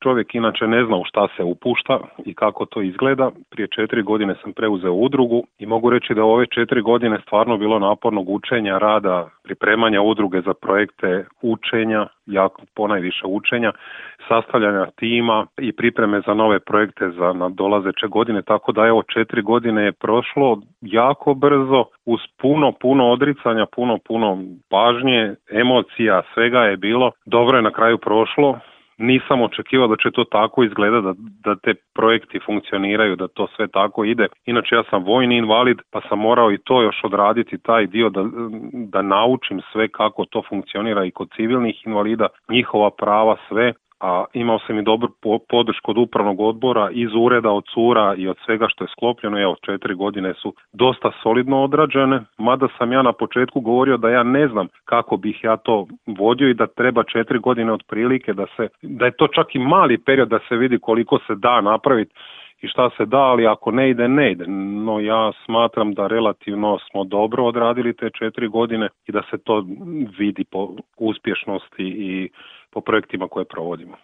Čovjek inače ne zna u šta se upušta i kako to izgleda. Prije 4 godine sam preuzeo udrugu i mogu reći da ove 4 godine stvarno bilo napornog učenja, rada, pripremanja udruge za projekte, učenja, jako ponajviše učenja, sastavljanja tima i pripreme za nove projekte za nadolazeće godine, tako da evo 4 godine je prošlo jako brzo uz puno odricanja, puno pažnje, emocija, svega je bilo. Dobro je na kraju prošlo. Nisam očekivao da će to tako izgledati, da te projekti funkcioniraju, da to sve tako ide. Inače ja sam vojni invalid pa sam morao i to još odraditi, taj dio da naučim sve kako to funkcionira i kod civilnih invalida, njihova prava, sve. A imao sam i dobru podršku od upravnog odbora, iz ureda, od cura i od svega što je sklopljeno. Evo, 4 godine su dosta solidno odrađene, mada sam ja na početku govorio da ja ne znam kako bih ja to vodio i da treba 4 godine otprilike, da je to čak i mali period da se vidi koliko se da napraviti i šta se da, ali ako ne ide, ne ide. No ja smatram da relativno smo dobro odradili te 4 godine i da se to vidi po uspješnosti i po projektima koje provodimo.